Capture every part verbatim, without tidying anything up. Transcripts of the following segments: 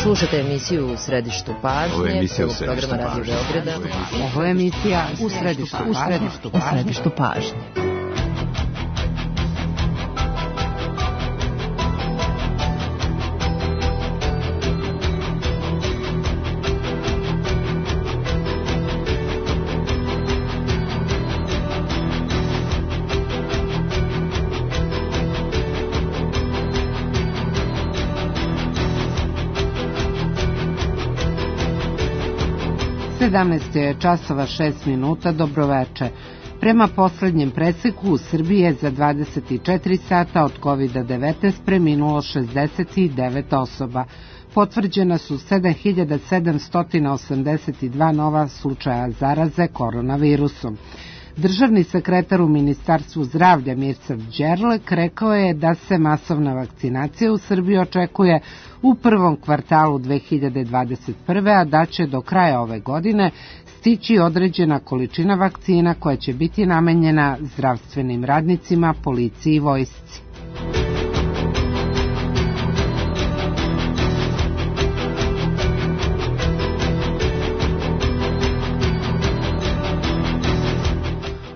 Slušate emisiju U središtu pažnje. Ovo je emisija U središtu programa Radio Beograda. Ovo je emisija U središtu pažnje. U središtu pažnje. sedamnaest je časova šest minuta, dobroveče. Prema poslednjem preseku u Srbiji je za dvadeset četiri sata od kovid devetnaest preminulo šezdeset devet osoba. Potvrđena su sedam hiljada sedamsto osamdeset dva nova slučaja zaraze koronavirusom. Državni sekretar u Ministarstvu zdravlja Mirsad Đerlek rekao je da se masovna vakcinacija u Srbiji očekuje u prvom kvartalu dve hiljade dvadeset prve. a da će do kraja ove godine stići određena količina vakcina koja će biti namenjena zdravstvenim radnicima, policiji i vojsci.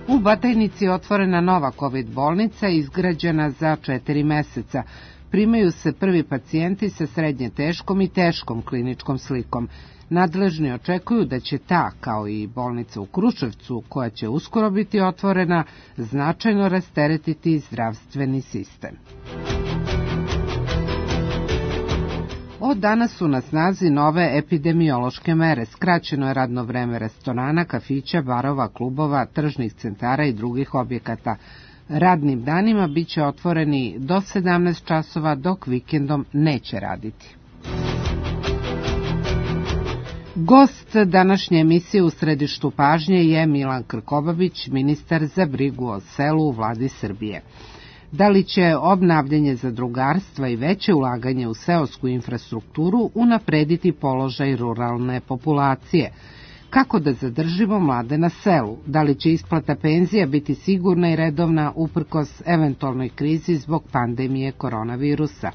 U Batajnici je otvorena nova kovid bolnica izgrađena za četiri meseca. Primaju se prvi pacijenti sa srednje teškom i teškom kliničkom slikom. Nadležni očekuju da će ta, kao i bolnica u Kruševcu, koja će uskoro biti otvorena, značajno rasteretiti zdravstveni sistem. Od danas su na snazi nove epidemiološke mere. Skraćeno je radno vreme restorana, kafića, barova, klubova, tržnih centara i drugih objekata. Radnim danima biće otvoreni do sedamnaest časova, dok vikendom neće raditi. Gost današnje emisije U središtu pažnje je Milan Krkobabić, ministar za brigu o selu u vladi Srbije. Da li će obnavljanje zadrugarstva i veće ulaganje u seosku infrastrukturu unaprediti položaj ruralne populacije? Kako da zadržimo mlade na selu? Da li će isplata penzija biti sigurna i redovna uprkos eventualnoj krizi zbog pandemije koronavirusa?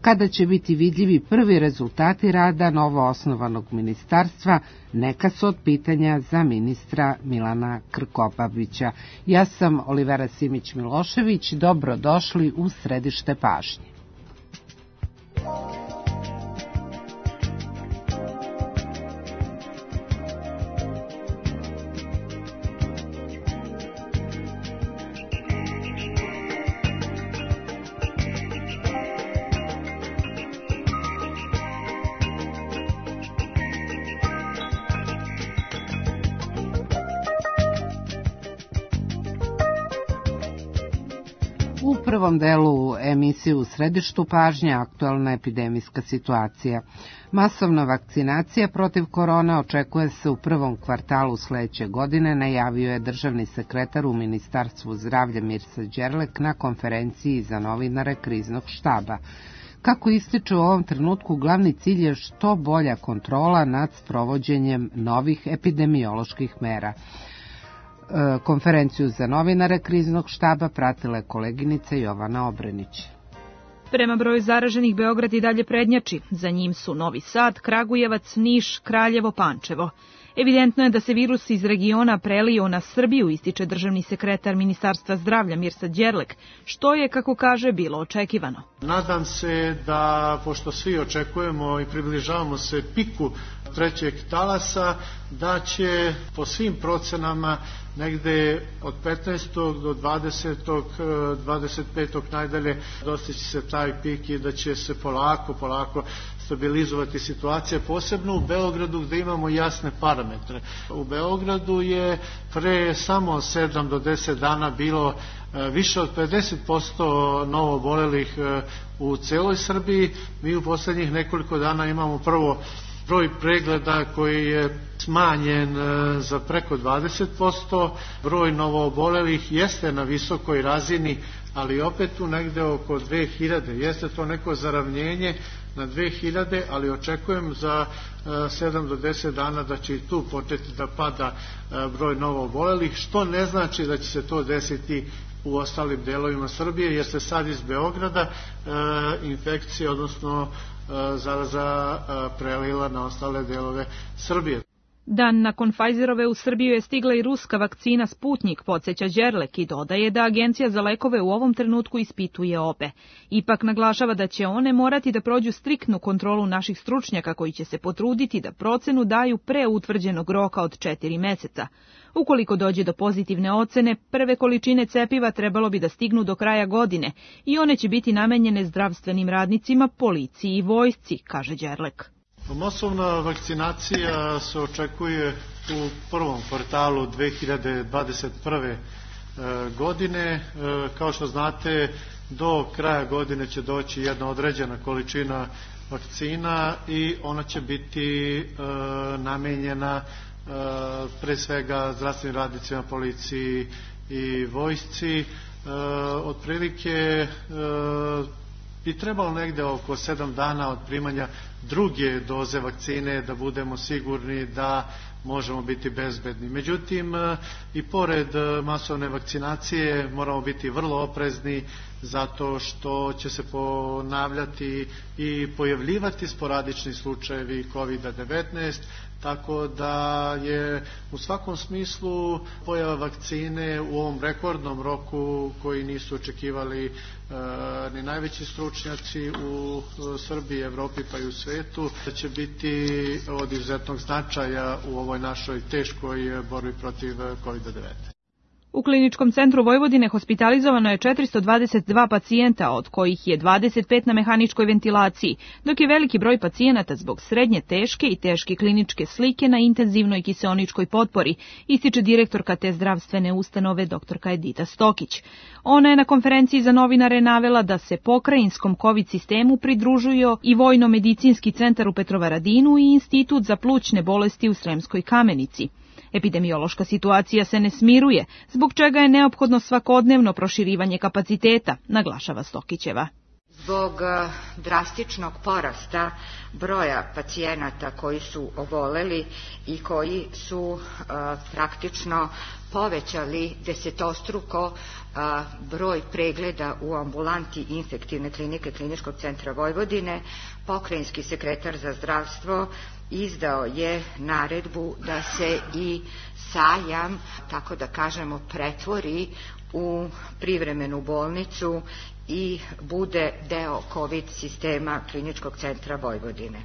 Kada će biti vidljivi prvi rezultati rada novoosnovanog ministarstva? Neka su od pitanja za ministra Milana Krkobabića. Ja sam Olivera Simić-Milošević, dobrodošli u središte pažnje. U prvom delu emisije U središtu pažnje aktualna epidemijska situacija. Masovna vakcinacija protiv korone očekuje se u prvom kvartalu sledeće godine, najavio je državni sekretar u Ministarstvu zdravlja Mirsad Đerlek na konferenciji za novinare kriznog štaba. Kako ističe u ovom trenutku, glavni cilj je što bolja kontrola nad sprovođenjem novih epidemioloških mera. Konferenciju za novinare kriznog štaba pratila je koleginica Jovana Obrenić. Prema broju zaraženih, Beograd i dalje prednjači. Za njim su Novi Sad, Kragujevac, Niš, Kraljevo, Pančevo. Evidentno je da se virus iz regiona prelio na Srbiju, ističe državni sekretar Ministarstva zdravlja Mirsad Đerlek, što je, kako kaže, bilo očekivano. Nadam se da, pošto svi očekujemo i približavamo se piku trećeg talasa, da će po svim procenama negde od petnaestog do dvadesetog, dvadeset petog najdalje dostići se taj pik i da će se polako, polako stabilizovati situacija, posebno u Beogradu gde imamo jasne parametre. U Beogradu je pre samo sedam do deset dana bilo više od pedeset posto novo obolelih u celoj Srbiji. Mi u poslednjih nekoliko dana imamo prvo broj pregleda koji je smanjen za preko dvadeset posto, broj novoobolelih jeste na visokoj razini, ali opet tu negde oko dve hiljade. Jeste to neko zaravnjenje na dve hiljade, ali očekujem za sedam do deset dana da će i tu početi da pada broj novoobolelih, što ne znači da će se to desiti u ostalim delovima Srbije, jer se sad iz Beograda e, infekcija, odnosno e, zaraza e, prelila na ostale delove Srbije. Dan nakon Pfizerove u Srbiju je stigla i ruska vakcina Sputnjik, podsjeća Đerlek i dodaje da Agencija za lekove u ovom trenutku ispituje obe. Ipak naglašava da će one morati da prođu striktnu kontrolu naših stručnjaka koji će se potruditi da procenu daju pre utvrđenog roka od četiri meseca. Ukoliko dođe do pozitivne ocene, prve količine cepiva trebalo bi da stignu do kraja godine i one će biti namenjene zdravstvenim radnicima, policiji i vojsci, kaže Đerlek. Masovna vakcinacija se očekuje u prvom kvartalu dve hiljade dvadeset prve. godine. Kao što znate, do kraja godine će doći jedna određena količina vakcina i ona će biti namenjena pre svega zdravstvenim radnicima, policiji i vojsci. Otprilike bi trebalo negde oko sedam dana od primanja druge doze vakcine da budemo sigurni da možemo biti bezbedni. Međutim, i pored masovne vakcinacije moramo biti vrlo oprezni zato što će se ponavljati i pojavljivati sporadični slučajevi kovid devetnaest, tako da je u svakom smislu pojava vakcine u ovom rekordnom roku koji nisu očekivali e, ni najveći stručnjaci u Srbiji, Evropi pa i u svetu, da će biti od izuzetnog značaja u ovoj našoj teškoj borbi protiv kovid devetnaest. U Kliničkom centru Vojvodine hospitalizovano je četiristo dvadeset dva pacijenta, od kojih je dvadeset pet na mehaničkoj ventilaciji, dok je veliki broj pacijenata zbog srednje teške i teške kliničke slike na intenzivnoj kiseoničkoj potpori, ističe direktorka te zdravstvene ustanove doktorka Edita Stokić. Ona je na konferenciji za novinare navela da se pokrajinskom COVID sistemu pridružuju i Vojno-medicinski centar u Petrovaradinu i Institut za plućne bolesti u Sremskoj Kamenici. Epidemiološka situacija se ne smiruje, zbog čega je neophodno svakodnevno proširivanje kapaciteta, naglašava Stokićeva. Zbog drastičnog porasta broja pacijenata koji su oboleli i koji su uh, praktično povećali desetostruko uh, broj pregleda u ambulanti infektivne klinike Kliničkog centra Vojvodine, pokrajinski sekretar za zdravstvo izdao je naredbu da se i sajam, tako da kažemo, pretvori u privremenu bolnicu i bude deo COVID sistema Kliničkog centra Vojvodine.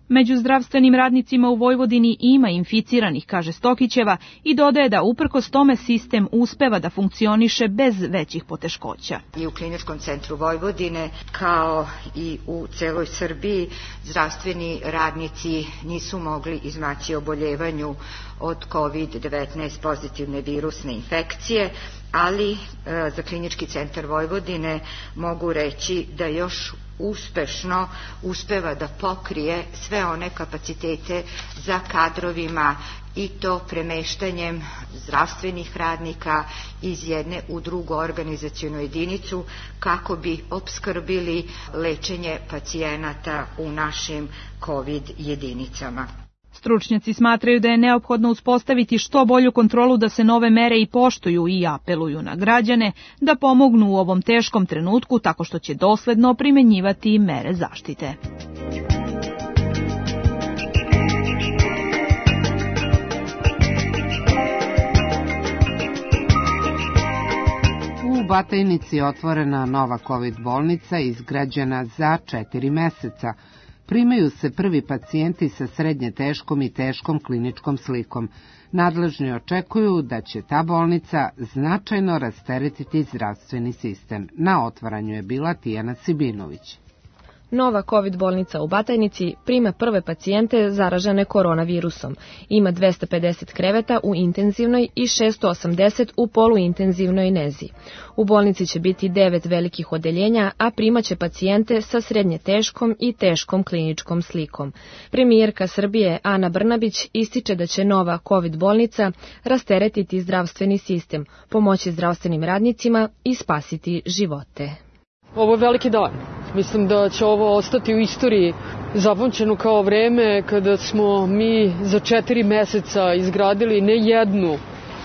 Među zdravstvenim radnicima u Vojvodini ima inficiranih, kaže Stokićeva, i dodaje da uprkos tome sistem uspeva da funkcioniše bez većih poteškoća. I u Kliničkom centru Vojvodine, kao i u celoj Srbiji, zdravstveni radnici nisu mogli izmaći oboljevanju od kovid devetnaest pozitivne virusne infekcije, ali e, za Klinički centar Vojvodine mogu reći da još uspešno uspeva da pokrije sve one kapacitete za kadrovima i to premeštanjem zdravstvenih radnika iz jedne u drugu organizacionu jedinicu kako bi opskrbili lečenje pacijenata u našim COVID jedinicama. Stručnjaci smatraju da je neophodno uspostaviti što bolju kontrolu da se nove mere i poštuju i apeluju na građane da pomognu u ovom teškom trenutku tako što će dosledno primenjivati mere zaštite. U Batajnici je otvorena nova COVID bolnica izgrađena za četiri meseca. Primaju se prvi pacijenti sa srednje teškom i teškom kliničkom slikom. Nadležni očekuju da će ta bolnica značajno rasteretiti zdravstveni sistem. Na otvaranju je bila Tijana Sibinović. Nova COVID bolnica u Batajnici prima prve pacijente zaražene koronavirusom. Ima dvesta pedeset kreveta u intenzivnoj i šesto osamdeset u poluintenzivnoj nezi. U bolnici će biti devet velikih odeljenja, a primaće pacijente sa srednje teškom i teškom kliničkom slikom. Premijerka Srbije Ana Brnabić ističe da će nova COVID bolnica rasteretiti zdravstveni sistem, pomoći zdravstvenim radnicima i spasiti živote. Ovo je veliki dan. Mislim da će ovo ostati u istoriji zapamćeno kao vreme kada smo mi za četiri meseca izgradili ne jednu,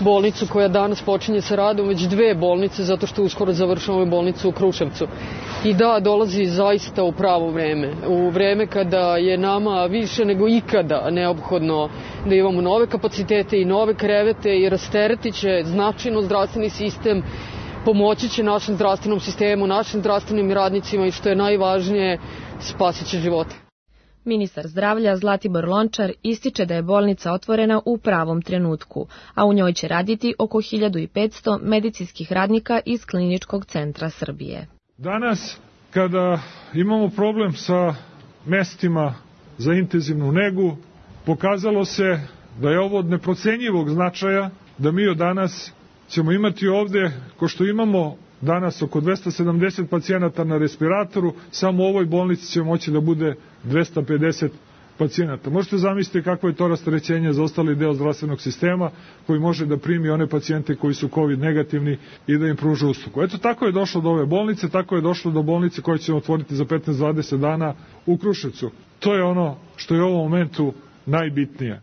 bolnicu koja danas počinje sa radom, već dve bolnice, zato što uskoro završavamo bolnicu u Kruševcu. I da, dolazi zaista u pravo vreme. U vreme kada je nama više nego ikada neophodno da imamo nove kapacitete i nove krevete i rasteretit će značajno zdravstveni sistem, pomoći će našem zdravstvenom sistemu, našim zdravstvenim radnicima i što je najvažnije, spasit će živote. Ministar zdravlja Zlatibor Lončar ističe da je bolnica otvorena u pravom trenutku, a u njoj će raditi oko hiljadu petsto medicinskih radnika iz Kliničkog centra Srbije. Danas, kada imamo problem sa mestima za intenzivnu negu, pokazalo se da je ovo od neprocenjivog značaja, da mi od danas ćemo imati ovde, ko što imamo danas oko dvesta sedamdeset pacijenata na respiratoru, samo u ovoj bolnici će moći da bude dvesta pedeset pacijenata. Možete zamisliti kakvo je to rasterećenje za ostali deo zdravstvenog sistema koji može da primi one pacijente koji su COVID negativni i da im pruža uslugu. Eto, tako je došlo do ove bolnice, tako je došlo do bolnice koje ćemo otvoriti za petnaest do dvadeset dana u Kruševcu. To je ono što je u ovom momentu najbitnije.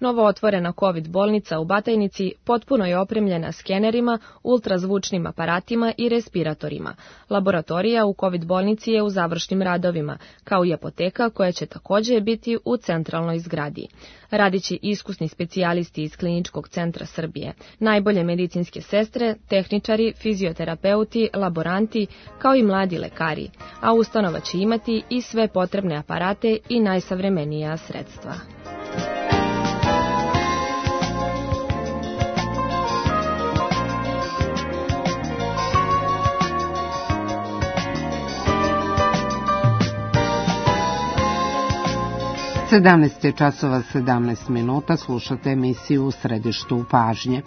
Novo otvorena COVID bolnica u Batajnici potpuno je opremljena skenerima, ultrazvučnim aparatima i respiratorima. Laboratorija u COVID bolnici je u završnim radovima, kao i apoteka koja će također biti u centralnoj zgradi. Radit će iskusni specijalisti iz Kliničkog centra Srbije, najbolje medicinske sestre, tehničari, fizioterapeuti, laboranti, kao i mladi lekari, a ustanova će imati i sve potrebne aparate i najsavremenija sredstva. sedamnaest časova sedamnaest minuta, slušate emisiju U središtu pažnje.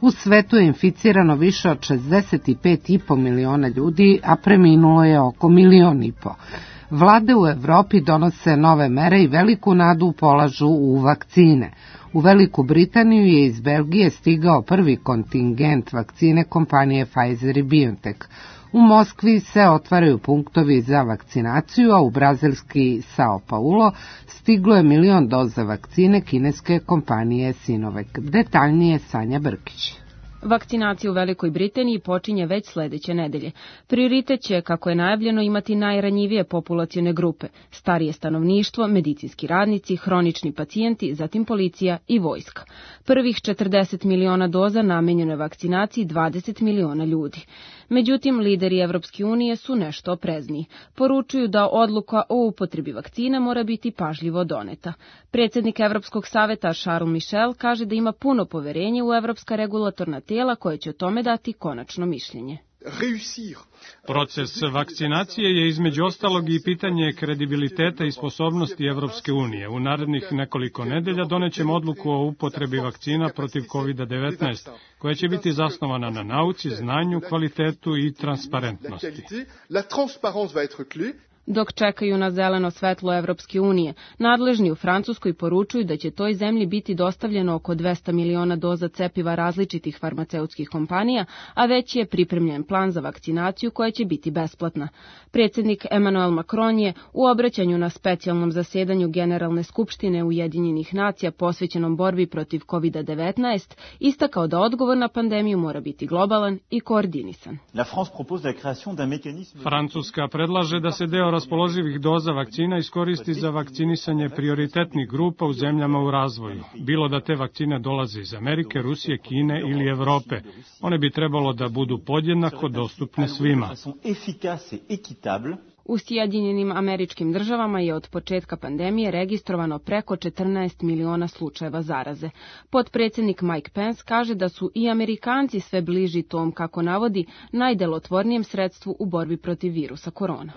U svetu je inficirano više od šezdeset pet i po miliona ljudi, a preminulo je oko milion i po. Vlade u Evropi donose nove mere i veliku nadu polažu u vakcine. U Veliku Britaniju je iz Belgije stigao prvi kontingent vakcine kompanije Pfizer i BioNTech. U Moskvi se otvaraju punktovi za vakcinaciju, a u brazilski Sao Paulo stiglo je milion doza vakcine kineske kompanije Sinovac. Detaljnije Sanja Brkić. Vakcinacija u Velikoj Britaniji počinje već sledeće nedelje. Prioritet će, kako je najavljeno, imati najranjivije populacione grupe, starije stanovništvo, medicinski radnici, hronični pacijenti, zatim policija i vojska. Prvih četrdeset miliona doza namenjeno je vakcinaciji dvadeset miliona ljudi. Međutim, lideri Evropske unije su nešto oprezniji. Poručuju da odluka o upotrebi vakcina mora biti pažljivo doneta. Predsjednik Evropskog saveta Charles Michel kaže da ima puno poverenje u evropska regulatorna tijela koje će o tome dati konačno mišljenje. Proces vakcinacije je između ostalog i pitanje kredibiliteta i sposobnosti Evropske unije. U narednih nekoliko nedelja donećemo odluku o upotrebi vakcina protiv kovid devetnaest, koja će biti zasnovana na nauci, znanju, kvalitetu i transparentnosti. Dok čekaju na zeleno svetlo Evropske unije, nadležni u Francuskoj poručuju da će toj zemlji biti dostavljeno oko dvesta miliona doza cepiva različitih farmaceutskih kompanija, a već je pripremljen plan za vakcinaciju koja će biti besplatna. Predsjednik Emmanuel Macron je u obraćanju na specijalnom zasedanju Generalne skupštine Ujedinjenih nacija posvećenom borbi protiv kovid devetnaest istakao da odgovor na pandemiju mora biti globalan i koordinisan. Francuska predlaže da se deo raspoloživih doza vakcina iskoristi za vakcinisanje prioritetnih grupa u zemljama u razvoju. Bilo da te vakcine dolaze iz Amerike, Rusije, Kine ili Evrope. One bi trebalo da budu podjednako dostupne svima. U Sjedinjenim Američkim Državama je od početka pandemije registrovano preko četrnaest miliona slučajeva zaraze. Potpredsjednik Mike Pence kaže da su i Amerikanci sve bliži tom, kako navodi, najdelotvornijem sredstvu u borbi protiv virusa korona.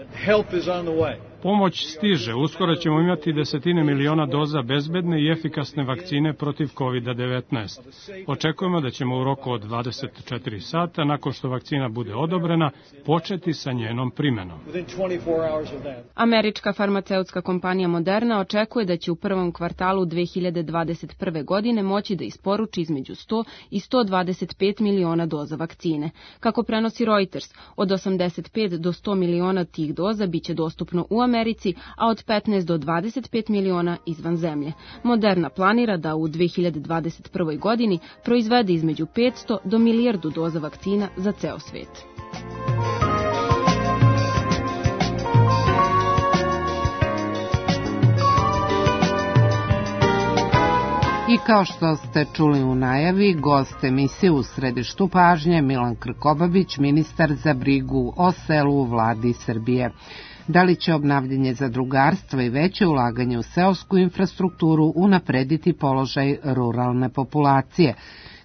Pomoć stiže. Uskoro ćemo imati desetine miliona doza bezbedne i efikasne vakcine protiv kovid devetnaest. Očekujemo da ćemo u roku od dvadeset četiri sata, nakon što vakcina bude odobrena, početi sa njenom primenom. Američka farmaceutska kompanija Moderna očekuje da će u prvom kvartalu dve hiljade dvadeset prve. godine moći da isporuči između sto i sto dvadeset pet miliona doza vakcine. Kako prenosi Reuters, od osamdeset pet do sto miliona tih doza biće dostupno u Americi, Americi, a od petnaest do dvadeset pet miliona izvan zemlje. Moderna planira da u dve hiljade dvadeset prvoj godini proizvede između petsto do milijardu doza vakcina za ceo svet. I kao što ste čuli u najavi, gost emisije U središtu pažnje Milan Krkobabić, ministar za brigu o selu u vladi Srbije. Da li će obnavljanje zadrugarstva i veće ulaganje u seosku infrastrukturu unaprediti položaj ruralne populacije?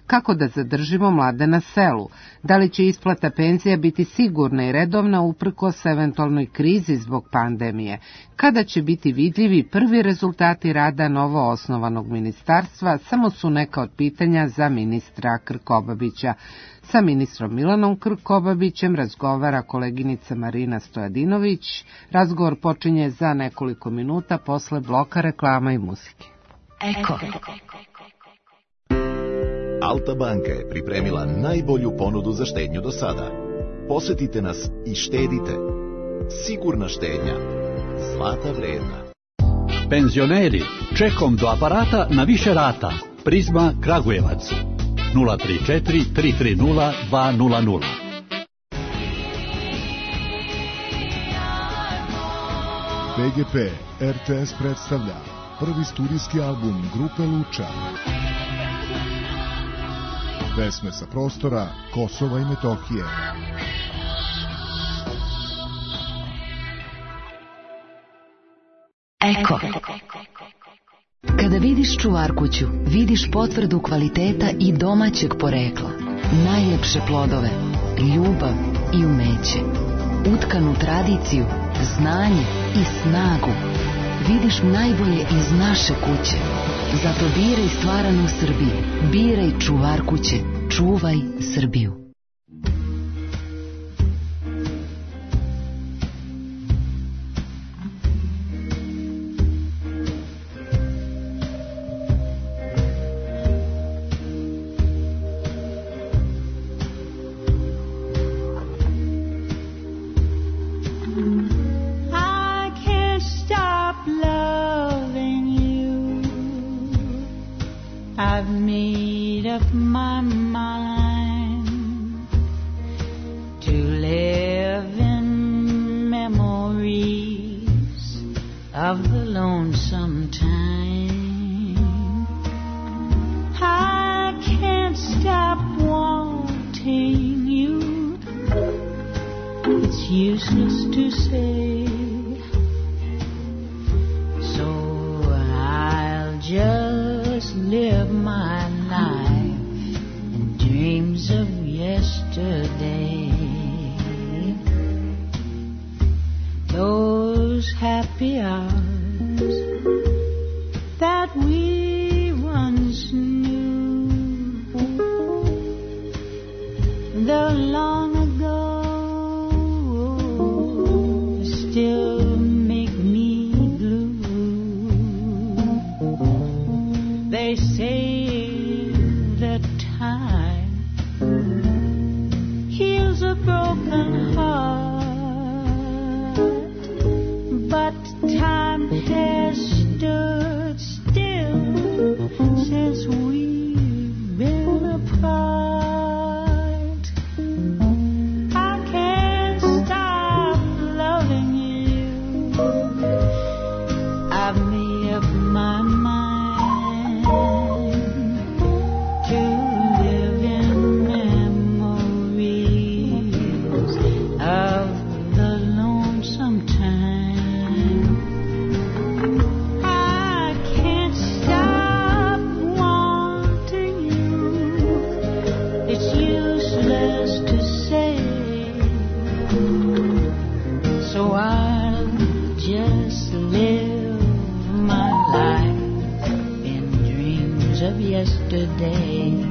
Kako da zadržimo mlade na selu? Da li će isplata penzija biti sigurna i redovna uprkos eventualnoj krizi zbog pandemije? Kada će biti vidljivi prvi rezultati rada novo osnovanog ministarstva, samo su neka od pitanja za ministra Krkobabića. Sa ministrom Milanom Krkobabićem razgovara koleginica Marina Stojadinović. Razgovor počinje za nekoliko minuta posle bloka reklama i muzike. Eko. Alta banka je pripremila najbolju ponudu za štednju do sada. Posetite nas i štedite. Sigurna štednja. Zlata vredna. Penzioneri, čekom do aparata na više rata. Prizma Kragujevac. nula tri četiri tri tri nula dva nula nula. P G P R T S predstavlja prvi studijski album grupe Luča. Pesme sa prostora Kosova i Metohije. Eko. Kada vidiš čuvarkuću, vidiš potvrdu kvaliteta i domaćeg porekla. Najlepše plodove, ljubav i umeće. Utkanu tradiciju, znanje i snagu. Vidiš najbolje iz naše kuće. Zato biraj stvaranu Srbiju. Biraj čuvar kuće. Čuvaj Srbiju. I've made up my mind to live in memories of the lonesome time. I can't stop wanting you. It's useless to say, so I'll just live my life in dreams of yesterday. Those happy hours that we once knew, the long ago still make me blue. They say that time heals a broken heart, but time has stood still since we've been apart. I can't stop loving you. I've made up my mind to live in memories of the lonesome time. I can't stop wanting you. It's useless to say, so I'll just live my life in dreams of yesterday.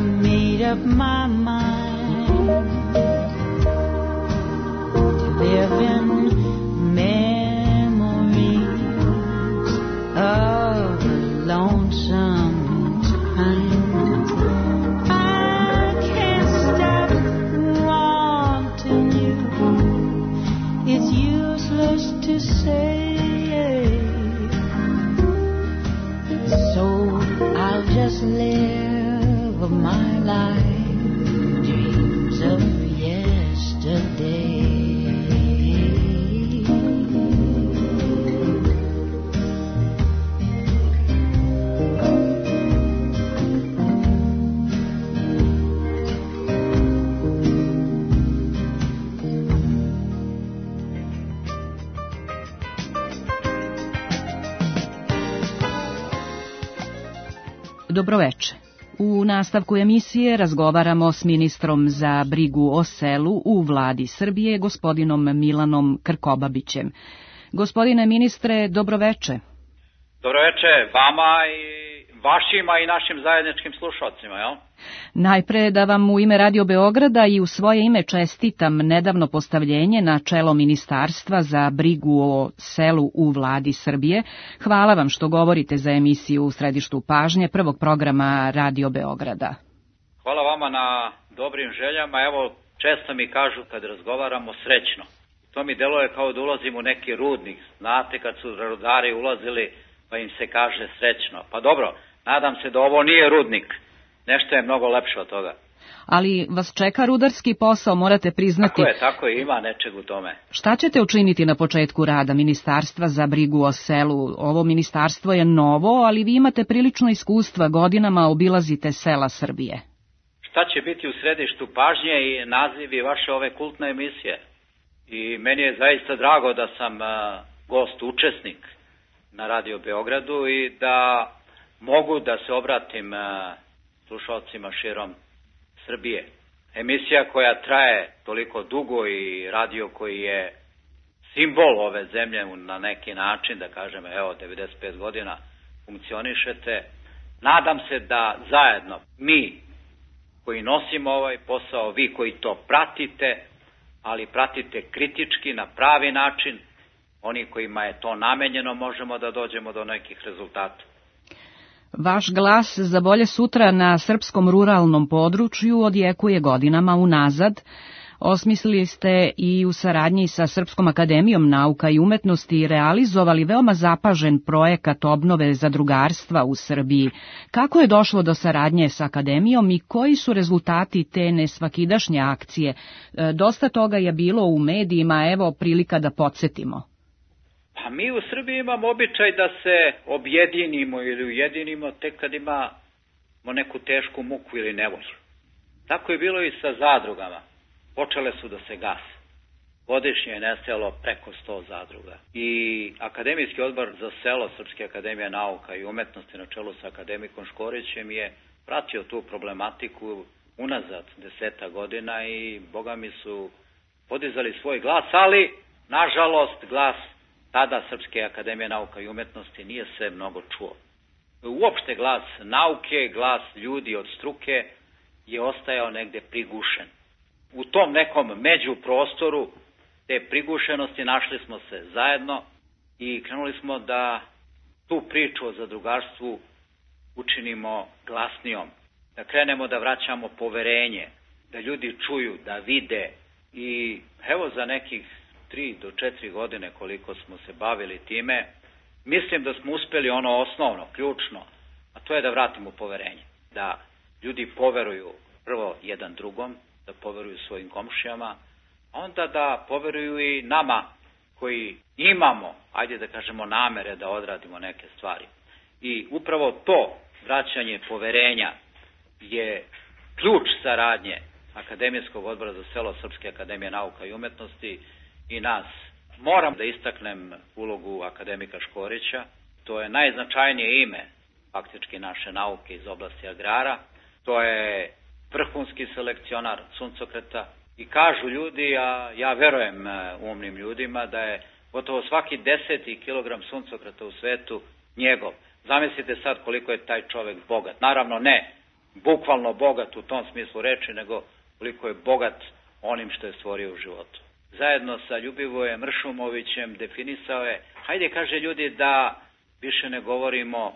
made up my mind to live in memories of a lonesome time. I can't stop wanting you. It's useless to say. So I'll just live my life, dreams of yesterday. Dobroveče. U nastavku emisije razgovaramo s ministrom za brigu o selu u vladi Srbije, gospodinom Milanom Krkobabićem. Gospodine ministre, dobroveče. Dobroveče vama i vašima i našim zajedničkim slušalcima, jel? Najpre da vam u ime Radio Beograda i u svoje ime čestitam nedavno postavljenje na čelo Ministarstva za brigu o selu u vladi Srbije. Hvala vam što govorite za emisiju U središtu pažnje prvog programa Radio Beograda. Hvala vama na dobrim željama. Evo, često mi kažu kad razgovaramo srećno. To mi deluje kao da ulazim u neki rudnik. Znate kad su rudari ulazili pa im se kaže srećno. Pa dobro, nadam se da ovo nije rudnik. Nešto je mnogo lepše od toga. Ali vas čeka rudarski posao, morate priznati. Tako je, tako je, ima nečeg u tome. Šta ćete učiniti na početku rada Ministarstva za brigu o selu? Ovo ministarstvo je novo, ali vi imate prilično iskustva, godinama obilazite sela Srbije. Šta će biti u središtu pažnje i nazivi vaše ove kultne emisije? I meni je zaista drago da sam uh, gost, učesnik na Radio Beogradu i da mogu da se obratim uh, slušalcima širom Srbije. Emisija koja traje toliko dugo i radio koji je simbol ove zemlje na neki način, da kažem, evo, devedeset pet godina funkcionišete. Nadam se da zajedno mi koji nosimo ovaj posao, vi koji to pratite, ali pratite kritički na pravi način, oni kojima je to namenjeno, možemo da dođemo do nekih rezultata. Vaš glas za bolje sutra na srpskom ruralnom području odjekuje godinama unazad. Osmislili ste i u saradnji sa Srpskom akademijom nauka i umetnosti realizovali veoma zapažen projekat obnove zadrugarstva u Srbiji. Kako je došlo do saradnje sa akademijom i koji su rezultati te nesvakidašnje akcije? Dosta toga je bilo u medijima, evo prilika da podsjetimo. Pa mi u Srbiji imamo običaj da se objedinimo ili ujedinimo tek kad imamo neku tešku muku ili nevolju. Tako je bilo i sa zadrugama. Počele su da se gase. Godišnje je nestajalo preko sto zadruga. I Akademijski odbor za selo Srpske akademije nauka i umetnosti na čelu sa akademikom Škorićem je pratio tu problematiku unazad deseta godina i boga mi su podizali svoj glas, ali nažalost glas tada Srpske akademije nauka i umetnosti nije se mnogo čuo. Uopšte glas nauke, glas ljudi od struke je ostajao negde prigušen. U tom nekom međuprostoru te prigušenosti našli smo se zajedno i krenuli smo da tu priču o zadrugarstvu učinimo glasnijom, da krenemo da vraćamo poverenje, da ljudi čuju, da vide i evo za nekih tri do četiri godine koliko smo se bavili time, mislim da smo uspeli ono osnovno, ključno, a to je da vratimo poverenje, da ljudi poveruju prvo jedan drugom, da poveruju svojim komšijama, a onda da poveruju i nama koji imamo, ajde da kažemo, namere da odradimo neke stvari. I upravo to vraćanje poverenja je ključ saradnje Akademijskog odbora za selo Srpske akademije nauka i umetnosti i nas. Moram da istaknem ulogu akademika Škorića, to je najznačajnije ime faktički naše nauke iz oblasti agrara, to je vrhunski selekcionar suncokreta i kažu ljudi, a ja verujem umnim ljudima, da je gotovo svaki deseti kilogram suncokreta u svetu njegov. Zamislite sad koliko je taj čovek bogat. Naravno ne bukvalno bogat u tom smislu reči, nego koliko je bogat onim što je stvorio u životu. Zajedno sa Ljubivojem Mršumovićem definisao je, hajde kaže ljudi da više ne govorimo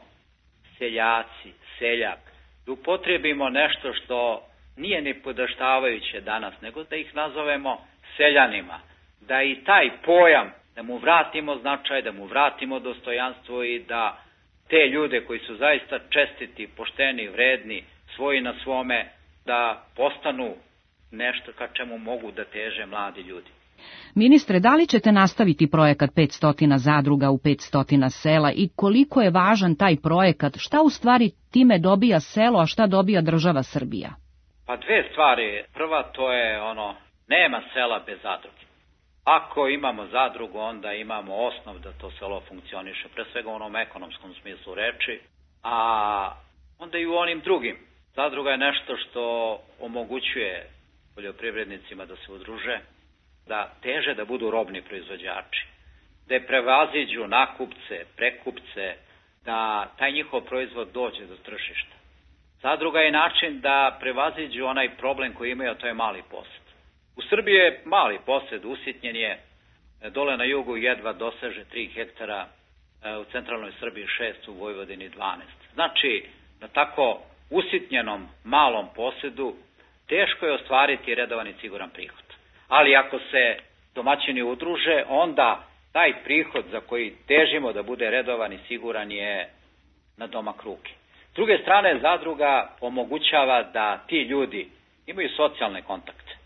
seljaci, seljak, da upotrijebimo nešto što nije ni podaštavajuće danas, nego da ih nazovemo seljanima, da i taj pojam, da mu vratimo značaj, da mu vratimo dostojanstvo i da te ljude koji su zaista čestiti, pošteni, vredni, svoji na svome, da postanu nešto ka čemu mogu da teže mladi ljudi. Ministre, da li ćete nastaviti projekat petsto zadruga u petsto sela i koliko je važan taj projekat? Šta u stvari time dobija selo, a šta dobija država Srbija? Pa dve stvari. Prva to je ono, nema sela bez zadruge. Ako imamo zadrugu, onda imamo osnov da to selo funkcioniše, pre svega u onom ekonomskom smislu reči, a onda i u onim drugim. Zadruga je nešto što omogućuje poljoprivrednicima da se udruže, da teže da budu robni proizvođači, da prevaziđu nakupce, prekupce, da taj njihov proizvod dođe do tržišta. Zadruga je način da prevaziđu onaj problem koji imaju, a to je mali posed. U Srbiji je mali posed, usitnjen je, dole na jugu jedva doseže tri hektara, u centralnoj Srbiji šest, u Vojvodini dvanaest. Znači, na tako usitnjenom malom posedu teško je ostvariti redovan i siguran prihod. Ali ako se domaćini udruže, onda taj prihod za koji težimo da bude redovan i siguran je na domak ruke. S druge strane, zadruga omogućava da ti ljudi imaju socijalne kontakte.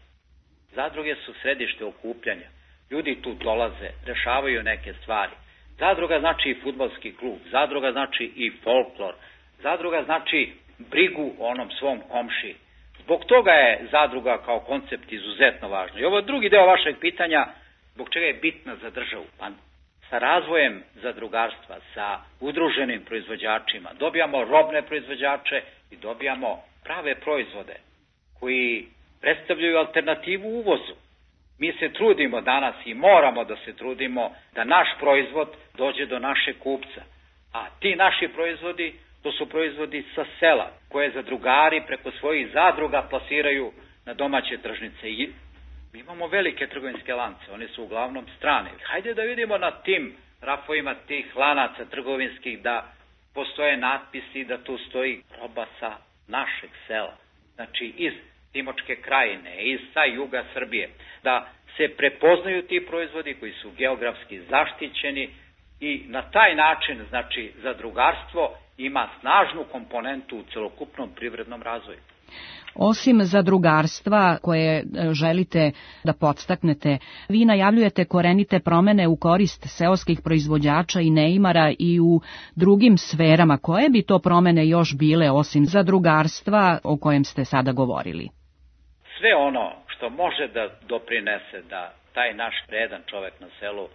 Zadruge su središte okupljanja. Ljudi tu dolaze, rešavaju neke stvari. Zadruga znači i fudbalski klub, zadruga znači i folklor, zadruga znači brigu o onom svom komšiji. Zbog toga je zadruga kao koncept izuzetno važna. I ovo drugi deo vašeg pitanja, zbog čega je bitna za državu? Pa sa razvojem zadrugarstva, sa udruženim proizvođačima, dobijamo robne proizvođače i dobijamo prave proizvode koji predstavljaju alternativu uvozu. Mi se trudimo danas i moramo da se trudimo da naš proizvod dođe do našeg kupca. A ti naši proizvodi, to su proizvodi sa sela, koje zadrugari preko svojih zadruga plasiraju na domaće tržnice. I mi imamo velike trgovinske lance, oni su uglavnom strane. Hajde da vidimo na tim rafovima tih lanaca trgovinskih da postoje natpisi da tu stoji roba sa našeg sela. Znači iz Timočke krajine, iz sa juga Srbije, da se prepoznaju ti proizvodi koji su geografski zaštićeni i na taj način, znači, zadrugarstvo ima snažnu komponentu u celokupnom privrednom razvoju. Osim zadrugarstva koje želite da podstaknete, vi najavljujete korenite promene u korist seoskih proizvođača i neimara i u drugim sferama. Koje bi to promene još bile osim zadrugarstva o kojem ste sada govorili? Sve ono što može da doprinese da taj naš vredan čovek na selu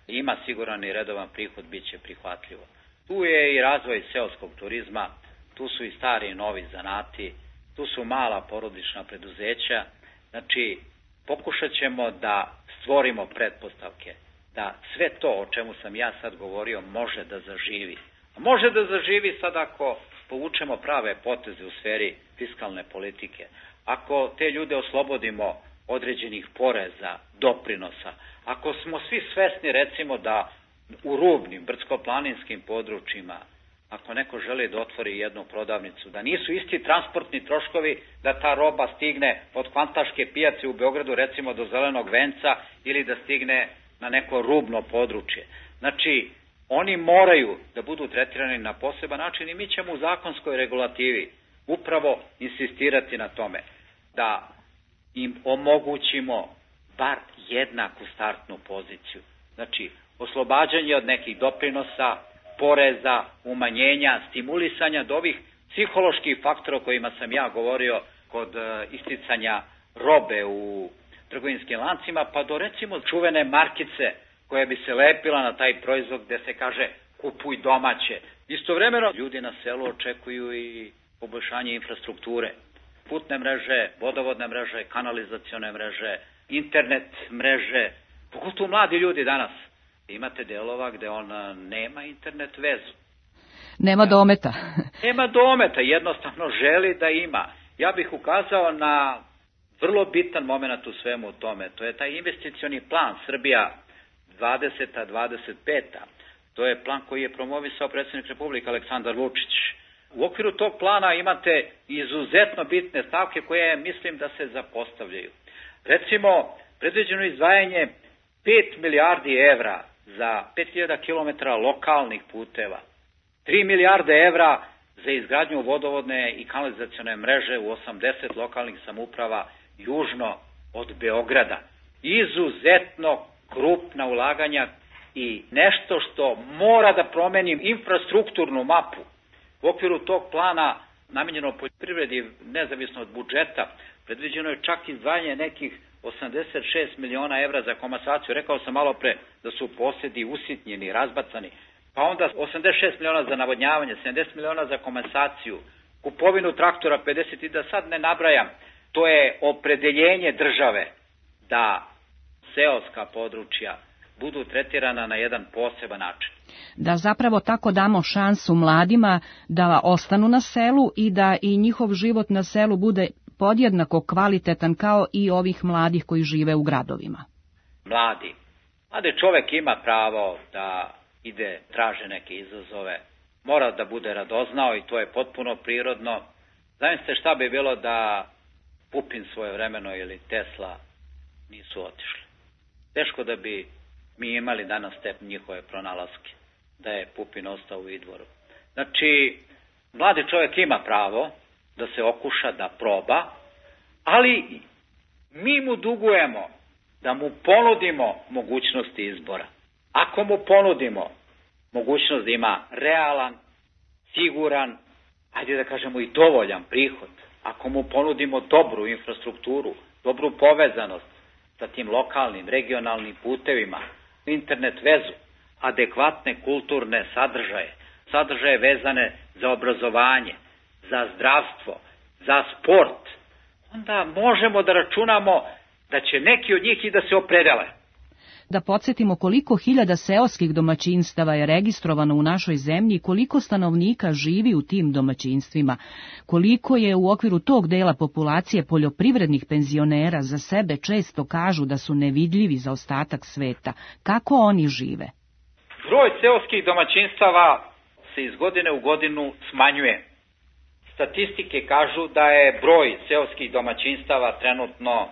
ima siguran i redovan prihod, bit će prihvatljivo. Tu je i razvoj seoskog turizma, tu su i stari i novi zanati, tu su mala porodična preduzeća. Znači, pokušat ćemo da stvorimo pretpostavke, da sve to o čemu sam ja sad govorio može da zaživi. A može da zaživi sad ako povučemo prave poteze u sferi fiskalne politike, ako te ljude oslobodimo određenih poreza, doprinosa, ako smo svi svesni recimo da u rubnim, brdsko-planinskim područjima, ako neko želi da otvori jednu prodavnicu, da nisu isti transportni troškovi da ta roba stigne od Kvantaške pijace u Beogradu recimo do Zelenog venca ili da stigne na neko rubno područje. Znači, oni moraju da budu tretirani na poseban način i mi ćemo u zakonskoj regulativi upravo insistirati na tome da im omogućimo bar jednaku startnu poziciju. Znači, oslobađanje od nekih doprinosa, poreza, umanjenja, stimulisanja do ovih psiholoških faktora o kojima sam ja govorio kod isticanja robe u trgovinskim lancima, pa do recimo čuvene markice koja bi se lepila na taj proizvod gde se kaže kupuj domaće. Istovremeno ljudi na selu očekuju i poboljšanje infrastrukture, putne mreže, vodovodne mreže, kanalizacione mreže, internet mreže, pogotovo mladi ljudi danas. Imate delova gde on nema internet vezu. Nema dometa. Nema dometa, jednostavno želi da ima. Ja bih ukazao na vrlo bitan moment u svemu tome. To je taj investicioni plan Srbija dvadeseta dvadeset peta. To je plan koji je promovisao predsjednik Republike Aleksandar Vučić. U okviru tog plana imate izuzetno bitne stavke koje mislim da se zapostavljaju. Recimo, predviđeno izdvajanje pet milijardi evra za pet hiljada kilometara lokalnih puteva, tri milijarde evra za izgradnju vodovodne i kanalizacione mreže u osamdeset lokalnih samouprava južno od Beograda. Izuzetno krupna ulaganja i nešto što mora da promeni infrastrukturnu mapu. U okviru tog plana namenjeno poljoprivredi nezavisno od budžeta predviđeno je čak izdvajanje nekih osamdeset šest miliona evra za komasaciju. Rekao sam malo pre da su posedi usitnjeni, razbacani. Pa onda osamdeset šest miliona za navodnjavanje, sedamdeset miliona za komasaciju, kupovinu traktora pedeset i da sad ne nabrajam. To je opredeljenje države da seoska područja budu tretirana na jedan poseban način. Da zapravo tako damo šansu mladima da ostanu na selu i da i njihov život na selu bude podjednako kvalitetan kao i ovih mladih koji žive u gradovima. Mladi. Mladi čovek ima pravo da ide, traže neke izazove, mora da bude radoznao i to je potpuno prirodno. Zamislite šta bi bilo da Pupin svojevremeno ili Tesla nisu otišli. Teško da bi mi imali danas te njihove pronalaske, da je Pupin ostao u Idvoru. Znači, mladi čovjek ima pravo da se okuša, da proba, ali mi mu dugujemo da mu ponudimo mogućnosti izbora. Ako mu ponudimo mogućnost da ima realan, siguran, ajde da kažemo i dovoljan prihod, ako mu ponudimo dobru infrastrukturu, dobru povezanost sa tim lokalnim, regionalnim putevima, internet vezu, adekvatne kulturne sadržaje, sadržaje vezane za obrazovanje, za zdravstvo, za sport, onda možemo da računamo da će neki od njih i da se opredele. Da podsjetimo koliko hiljada seoskih domaćinstava je registrovano u našoj zemlji i koliko stanovnika živi u tim domaćinstvima, koliko je u okviru tog dela populacije poljoprivrednih penzionera za sebe često kažu da su nevidljivi za ostatak sveta. Kako oni žive? Broj seoskih domaćinstava se iz godine u godinu smanjuje. Statistike kažu da je broj seoskih domaćinstava trenutno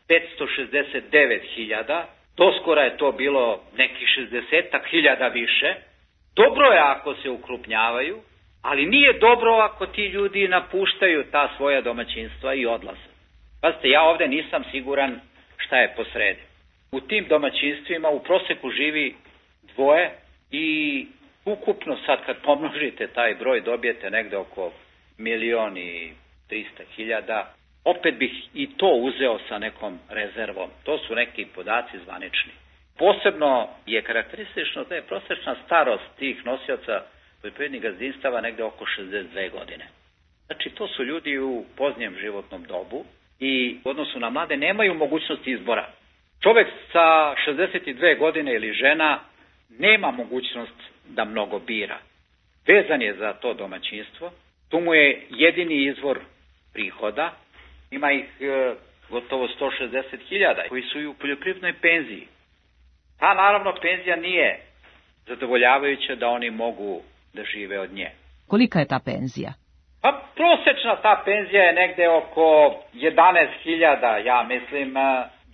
petsto šezdeset devet hiljada, doskora je to bilo nekih šezdeset hiljada više. Dobro je ako se ukrupnjavaju, ali nije dobro ako ti ljudi napuštaju ta svoja domaćinstva i odlaze. Pazite, ja ovde nisam siguran šta je posredi. U tim domaćinstvima u proseku živi dvoje i ukupno sad kad pomnožite taj broj dobijete negde oko milion i trista hiljada. Opet bih i to uzeo sa nekom rezervom. To su neki podaci zvanični. Posebno je karakteristično da je prosečna starost tih nosioca poljoprivrednih gazdinstava negde oko šezdeset dve godine. Znači, to su ljudi u poznijem životnom dobu i u odnosu na mlade nemaju mogućnosti izbora. Čovek sa šezdeset dve godine ili žena nema mogućnost da mnogo bira. Vezan je za to domaćinstvo, tu mu je jedini izvor prihoda, ima ih e, gotovo sto šezdeset hiljada koji su i u poljoprivrednoj penziji. Ta naravno penzija nije zadovoljavajuća da oni mogu da žive od nje. Kolika je ta penzija? Pa prosečna ta penzija je negde oko jedanaest hiljada, ja mislim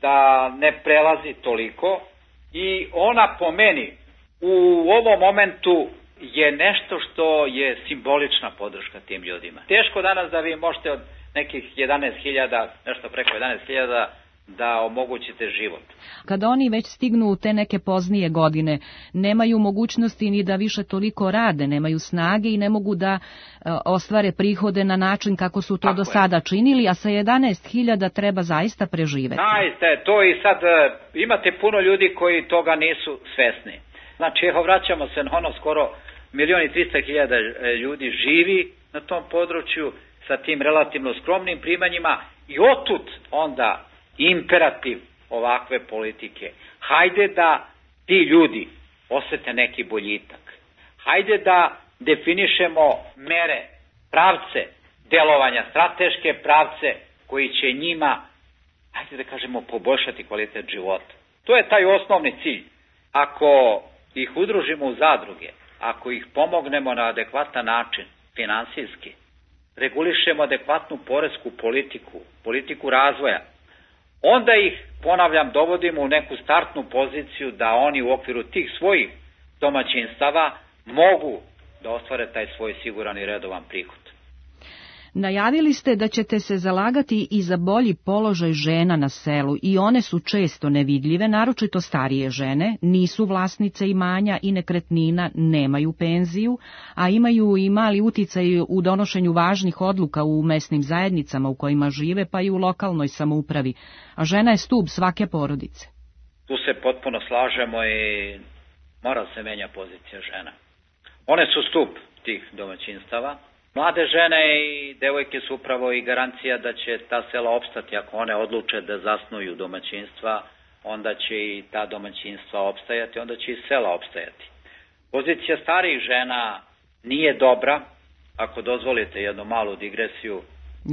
da ne prelazi toliko i ona po meni u ovom momentu je nešto što je simbolična podrška tim ljudima. Teško danas da vi možete od nekih jedanaest hiljada, nešto preko jedanaest hiljada, da omogućite život. Kada oni već stignu u te neke poznije godine, nemaju mogućnosti ni da više toliko rade, nemaju snage i ne mogu da e, ostvare prihode na način kako su to Tako do sada je. činili, a sa jedanaest hiljada treba zaista preživeti. Zaista je to i sad e, imate puno ljudi koji toga nisu svesni. Znači, evo vraćamo se na ono skoro milion i trista hiljada ljudi živi na tom području sa tim relativno skromnim primanjima i otud onda imperativ ovakve politike. Hajde da ti ljudi osete neki boljitak. Hajde da definišemo mere, pravce delovanja, strateške pravce koji će njima, ajde da kažemo, poboljšati kvalitet života. To je taj osnovni cilj. Ako ih udružimo u zadruge, ako ih pomognemo na adekvatan način, finansijski, regulišemo adekvatnu poresku politiku, politiku razvoja, onda ih, ponavljam, dovodimo u neku startnu poziciju da oni u okviru tih svojih domaćinstava mogu da ostvare taj svoj siguran i redovan prihod. Najavili ste da ćete se zalagati i za bolji položaj žena na selu i one su često nevidljive, naročito starije žene, nisu vlasnice imanja i nekretnina, nemaju penziju, a imaju i mali uticaj u donošenju važnih odluka u mesnim zajednicama u kojima žive, pa i u lokalnoj samoupravi, a žena je stub svake porodice. Tu se potpuno slažemo i mora se menja pozicija žena. One su stup tih domaćinstava. Mlade žene i devojke su upravo i garancija da će ta sela opstati. Ako one odluče da zasnuju domaćinstva, onda će i ta domaćinstva opstajati, onda će i sela opstajati. Pozicija starijih žena nije dobra. Ako dozvolite jednu malu digresiju.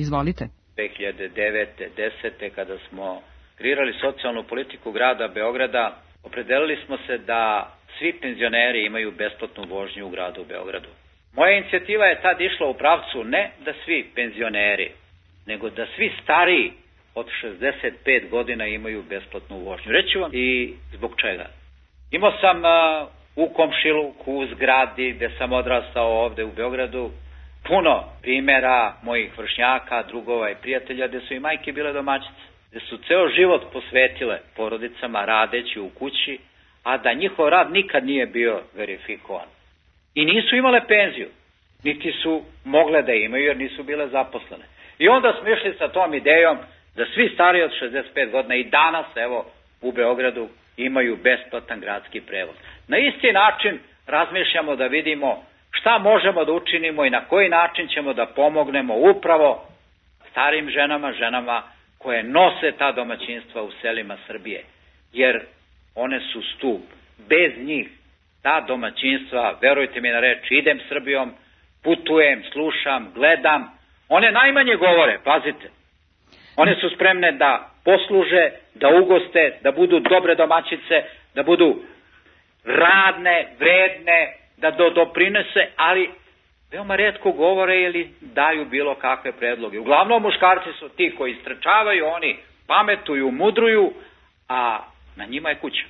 Izvolite. dve hiljade devete. desete. kada smo kreirali socijalnu politiku grada Beograda, opredelili smo se da svi penzioneri imaju besplatnu vožnju u gradu Beogradu. Moja inicijativa je tad išla u pravcu ne da svi penzioneri, nego da svi stariji od šezdeset pet godina imaju besplatnu vožnju. Reći vam i zbog čega. Imao sam uh, u komšiluku, u zgradi gde sam odrastao ovde u Beogradu, puno primjera mojih vršnjaka, drugova i prijatelja gde su i majke bile domaćice, gde su ceo život posvetile porodicama radeći u kući, a da njihov rad nikad nije bio verifikovan. I nisu imale penziju, niti su mogle da imaju jer nisu bile zaposlene. I onda smo išli sa tom idejom da svi stariji od šezdeset pet godina i danas, evo, u Beogradu imaju besplatan gradski prevoz. Na isti način razmišljamo da vidimo šta možemo da učinimo i na koji način ćemo da pomognemo upravo starim ženama, ženama koje nose ta domaćinstva u selima Srbije. Jer one su stup. Bez njih ta domaćinstva, verujte mi na reč, idem Srbijom, putujem, slušam, gledam. One najmanje govore, pazite. One su spremne da posluže, da ugoste, da budu dobre domaćice, da budu radne, vredne, da do, doprinese, ali veoma retko govore ili daju bilo kakve predloge. Uglavnom muškarci su ti koji istrčavaju, oni pametuju, mudruju, a na njima je kuća.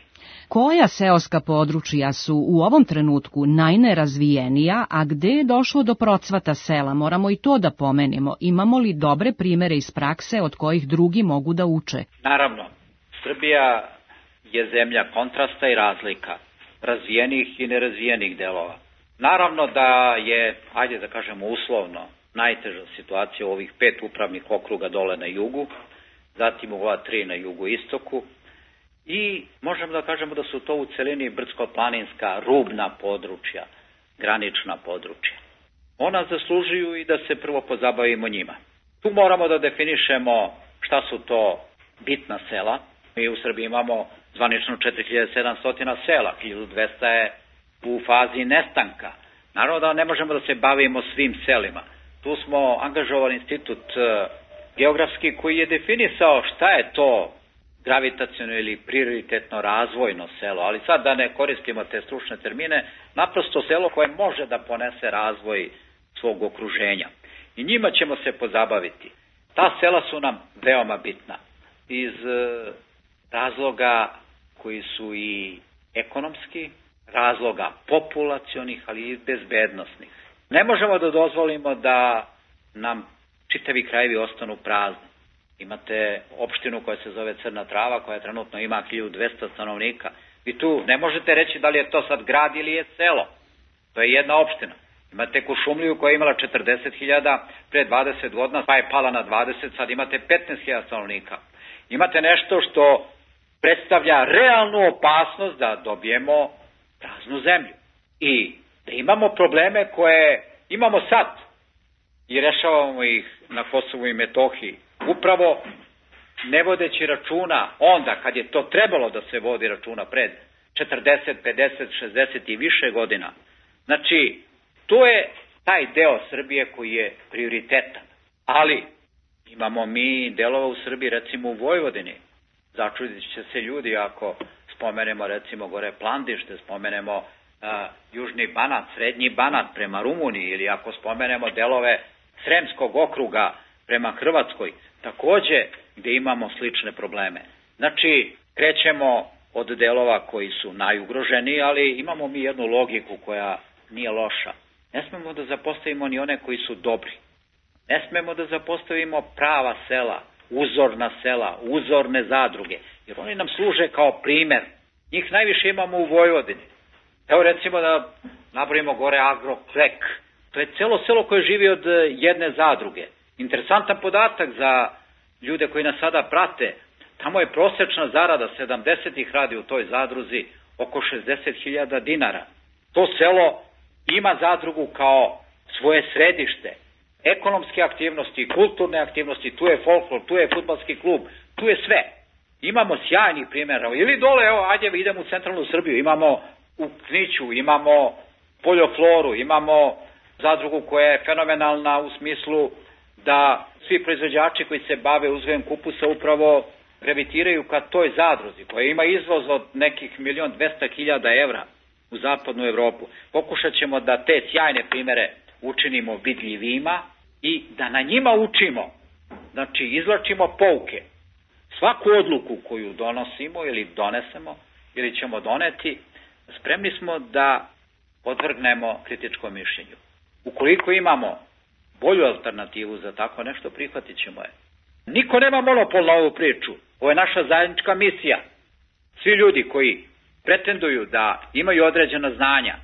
Koja seoska područja su u ovom trenutku najnerazvijenija, a gde je došlo do procvata sela? Moramo i to da pomenemo. Imamo li dobre primere iz prakse od kojih drugi mogu da uče? Naravno, Srbija je zemlja kontrasta i razlika, razvijenih i nerazvijenih delova. Naravno da je, ajde da kažemo uslovno, najteža situacija u ovih pet upravnih okruga dole na jugu, zatim u ova tri na jugu istoku, i možemo da kažemo da su to u celini brdsko-planinska rubna područja, granična područja. Ona zaslužuju i da se prvo pozabavimo njima. Tu moramo da definišemo šta su to bitna sela. Mi u Srbiji imamo zvanično četiri hiljade sedamsto sela, hiljadu dvesta je u fazi nestanka. Naravno da ne možemo da se bavimo svim selima. Tu smo angažovali institut geografski koji je definisao šta je to gravitaciono ili prioritetno razvojno selo, ali sad da ne koristimo te stručne termine, naprosto selo koje može da ponese razvoj svog okruženja. I njima ćemo se pozabaviti. Ta sela su nam veoma bitna iz razloga koji su i ekonomski, razloga populacionih, ali i bezbednosnih. Ne možemo da dozvolimo da nam čitavi krajevi ostanu prazni. Imate opštinu koja se zove Crna Trava, koja trenutno ima hiljadu dvesta stanovnika. I tu ne možete reći da li je to sad grad ili je selo. To je jedna opština. Imate Kuršumliju koja je imala četrdeset hiljada pre dvadeset godina, pa je pala na dvadeset, sad imate petnaest hiljada stanovnika. Imate nešto što predstavlja realnu opasnost da dobijemo praznu zemlju. I da imamo probleme koje imamo sad i rešavamo ih na Kosovu i Metohiji. Upravo ne vodeći računa onda kad je to trebalo da se vodi računa pred četrdeset, pedeset, šezdeset i više godina. Znači, To je taj deo Srbije koji je prioritetan. Ali imamo mi delova u Srbiji, recimo u Vojvodini. Začudit će se ljudi ako spomenemo recimo gore Plandište, spomenemo uh, Južni Banat, Srednji Banat prema Rumuniji, ili ako spomenemo delove Sremskog okruga prema Hrvatskoj, takođe gde imamo slične probleme. Znači, krećemo od delova koji su najugroženiji, ali imamo mi jednu logiku koja nije loša. Ne smemo da zapostavimo ni one koji su dobri. Ne smemo da zapostavimo prava sela, uzorna sela, uzorne zadruge, jer oni nam služe kao primer. Njih najviše imamo u Vojvodini. Evo recimo da nabrojimo gore Agroklek. To je celo selo koje živi od jedne zadruge. Interesantan podatak za ljude koji nas sada prate. Tamo je prosečna zarada sedamdesetih radi u toj zadruzi oko šezdeset hiljada dinara. To selo ima zadrugu kao svoje središte. Ekonomske aktivnosti, kulturne aktivnosti, tu je folklor, tu je fudbalski klub, tu je sve. Imamo sjajnih primjera. Ili dole, evo, ajde idemo u centralnu Srbiju, imamo u Kniću, imamo Poljofloru, imamo zadrugu koja je fenomenalna u smislu da svi proizvođači koji se bave uzgojem kupusa upravo gravitiraju ka toj zadruzi, koja ima izvoz od nekih milion dvesta hiljada evra u zapadnu Evropu. Pokušat ćemo da te sjajne primere učinimo vidljivima i da na njima učimo, znači izvlačimo pouke. Svaku odluku koju donosimo ili donesemo ili ćemo doneti, spremni smo da podvrgnemo kritičkom mišljenju. Ukoliko imamo bolju alternativu za tako nešto, prihvatit ćemo je. Niko nema monopol na ovu priču. Ovo je naša zajednička misija. Svi ljudi koji pretenduju da imaju određena znanja,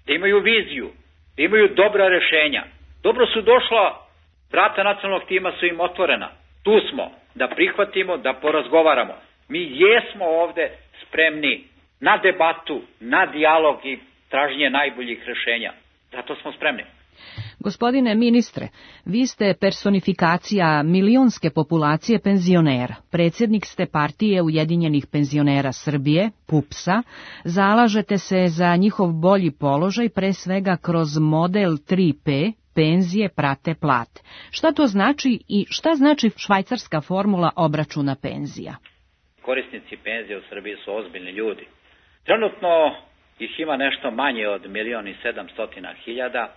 da imaju viziju, da imaju dobra rešenja, dobro su došla, vrata nacionalnog tima su im otvorena. Tu smo da prihvatimo, da porazgovaramo. Mi jesmo ovde spremni na debatu, na dijalog i traženje najboljih rešenja. Zato smo spremni. Gospodine ministre, vi ste personifikacija milionske populacije penzionera. Predsjednik ste partije Ujedinjenih penzionera Srbije, PUPS-a. Zalažete se za njihov bolji položaj, pre svega kroz model tri P, penzije prate plate. Šta to znači i šta znači švajcarska formula obračuna penzija? Korisnici penzije u Srbiji su ozbiljni ljudi. Trenutno ih ima nešto manje od milion i sedamstotina hiljada.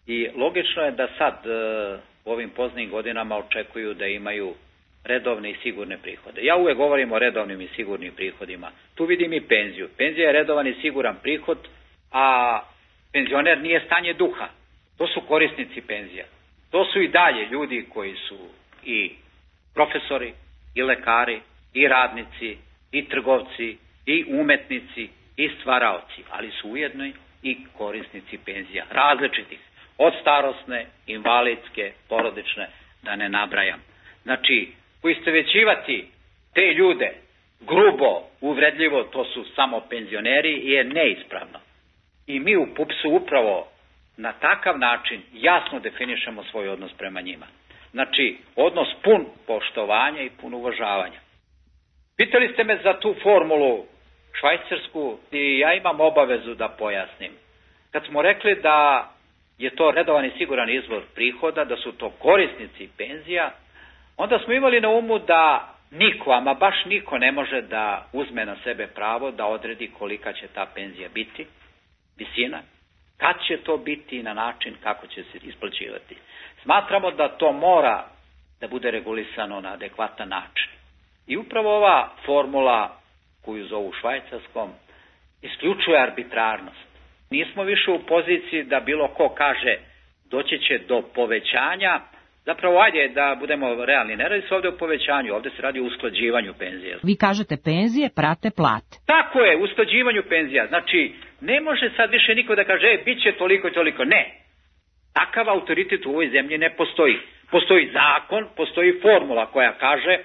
I logično je da sad u ovim poznim godinama očekuju da imaju redovne i sigurne prihode. Ja uvek govorim o redovnim i sigurnim prihodima. Tu vidim i penziju. Penzija je redovan i siguran prihod, a penzioner nije stanje duha. To su korisnici penzija. To su i dalje ljudi koji su i profesori, i lekari, i radnici, i trgovci, i umetnici, i stvaraoci, ali su ujedno i korisnici penzija, različitih. Od starosne, invalidske, porodične, da ne nabrajam. Znači, poistovećivati te ljude grubo, uvredljivo, to su samo penzioneri, je neispravno. I mi u PUPS-u upravo na takav način jasno definišemo svoj odnos prema njima. Znači, odnos pun poštovanja i pun uvažavanja. Pitali ste me za tu formulu švajcarsku i ja imam obavezu da pojasnim. Kad smo rekli da je to redovan i siguran izvor prihoda, da su to korisnici penzija, onda smo imali na umu da niko, ama baš niko ne može da uzme na sebe pravo da odredi kolika će ta penzija biti, visina, kad će to biti i na način kako će se isplaćivati. Smatramo da to mora da bude regulisano na adekvatan način. I upravo ova formula koju zovu švajcarskom isključuje arbitrarnost. Nismo više u poziciji da bilo ko kaže doći će do povećanja. Zapravo, ajde da budemo realni, ne radi se ovde o povećanju, ovde se radi o usklađivanju penzija. Vi kažete penzije prate plate. Tako je, usklađivanju penzija. Znači, ne može sad više niko da kaže, e, bit će toliko i toliko. Ne. Takav autoritet u ovoj zemlji ne postoji. Postoji zakon, postoji formula koja kaže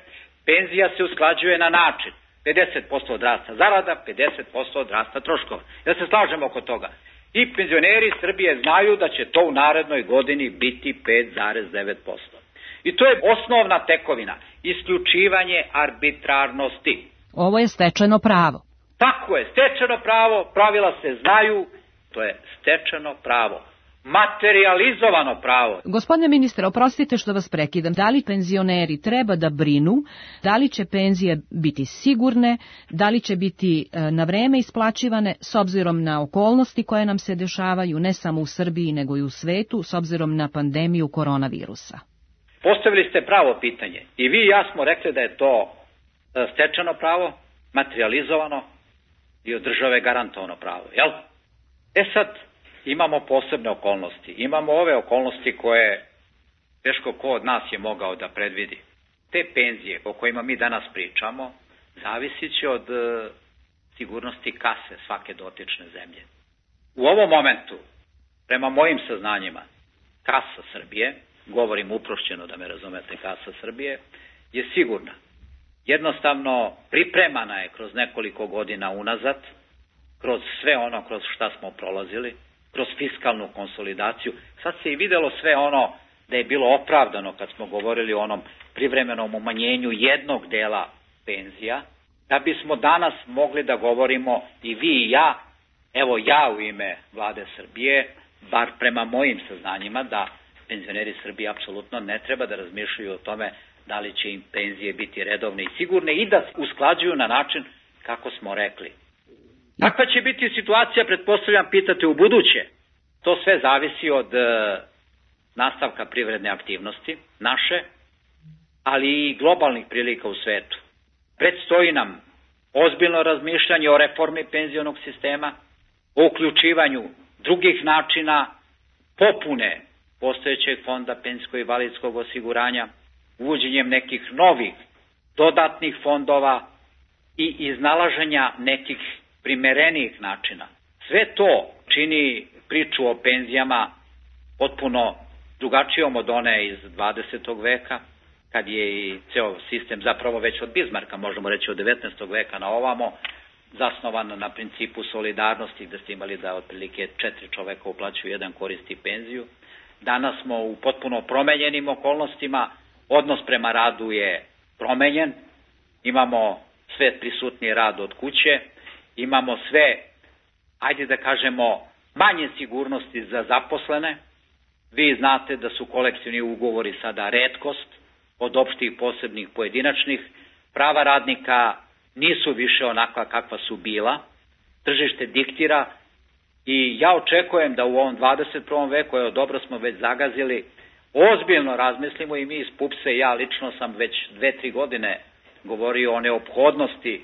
penzija se usklađuje na način pedeset posto od rasta zarada, pedeset posto od rasta troškova. Ja se slažem oko toga. I penzioneri Srbije znaju da će to u narednoj godini biti pet zarez devet posto. I to je osnovna tekovina, isključivanje arbitrarnosti. Ovo je stečeno pravo. Tako je, stečeno pravo, pravila se znaju, to je stečeno pravo. Materializovano pravo. Gospodine ministre, oprostite što vas prekidam. Da li penzioneri treba da brinu, da li će penzije biti sigurne, da li će biti na vreme isplaćivane s obzirom na okolnosti koje nam se dešavaju, ne samo u Srbiji nego i u svetu, s obzirom na pandemiju koronavirusa? Postavili ste pravo pitanje. I vi i ja smo rekli da je to stečeno pravo, materializovano i od države garantovano pravo. Jel? E sad, imamo posebne okolnosti. Imamo ove okolnosti koje teško ko od nas je mogao da predvidi. Te penzije o kojima mi danas pričamo zavisit će od e, sigurnosti kase svake dotične zemlje. U ovom momentu, prema mojim saznanjima, kasa Srbije, govorim uprošćeno da me razumete, kasa Srbije, je sigurna. Jednostavno pripremana je kroz nekoliko godina unazad, kroz sve ono kroz šta smo prolazili, kroz fiskalnu konsolidaciju. Sad se i videlo sve ono da je bilo opravdano kad smo govorili o onom privremenom umanjenju jednog dela penzija, da bismo danas mogli da govorimo i vi i ja, evo ja u ime Vlade Srbije, bar prema mojim saznanjima, da penzioneri Srbije apsolutno ne treba da razmišljaju o tome da li će im penzije biti redovne i sigurne i da se usklađuju na način kako smo rekli. Kakva će biti situacija, pretpostavljam, pitate u buduće? To sve zavisi od e, nastavka privredne aktivnosti naše, ali i globalnih prilika u svetu. Predstoji nam ozbiljno razmišljanje o reformi penzionog sistema, o uključivanju drugih načina popune postojećeg fonda penzijskog i invalidskog osiguranja, uvođenjem nekih novih dodatnih fondova i iznalaženja nekih primerenijih načina. Sve to čini priču o penzijama potpuno drugačijom od one iz dvadesetog veka, kad je i ceo sistem zapravo već od Bizmarka, možemo reći od devetnaestog veka na ovamo, zasnovan na principu solidarnosti, gde ste imali da otprilike četiri čoveka uplaćuju, jedan koristi penziju. Danas smo u potpuno promenjenim okolnostima, odnos prema radu je promenjen, imamo sve prisutniji rad od kuće, imamo sve, ajde da kažemo, manje sigurnosti za zaposlene. Vi znate da su kolektivni ugovori sada retkost, od opštih, posebnih, pojedinačnih. Prava radnika nisu više onakva kakva su bila. Tržište diktira i ja očekujem da u ovom dvadeset prvom veku, evo dobro smo već zagazili, ozbiljno razmislimo i mi iz PUPS-a i ja lično sam već dve, tri godine govorio o neophodnosti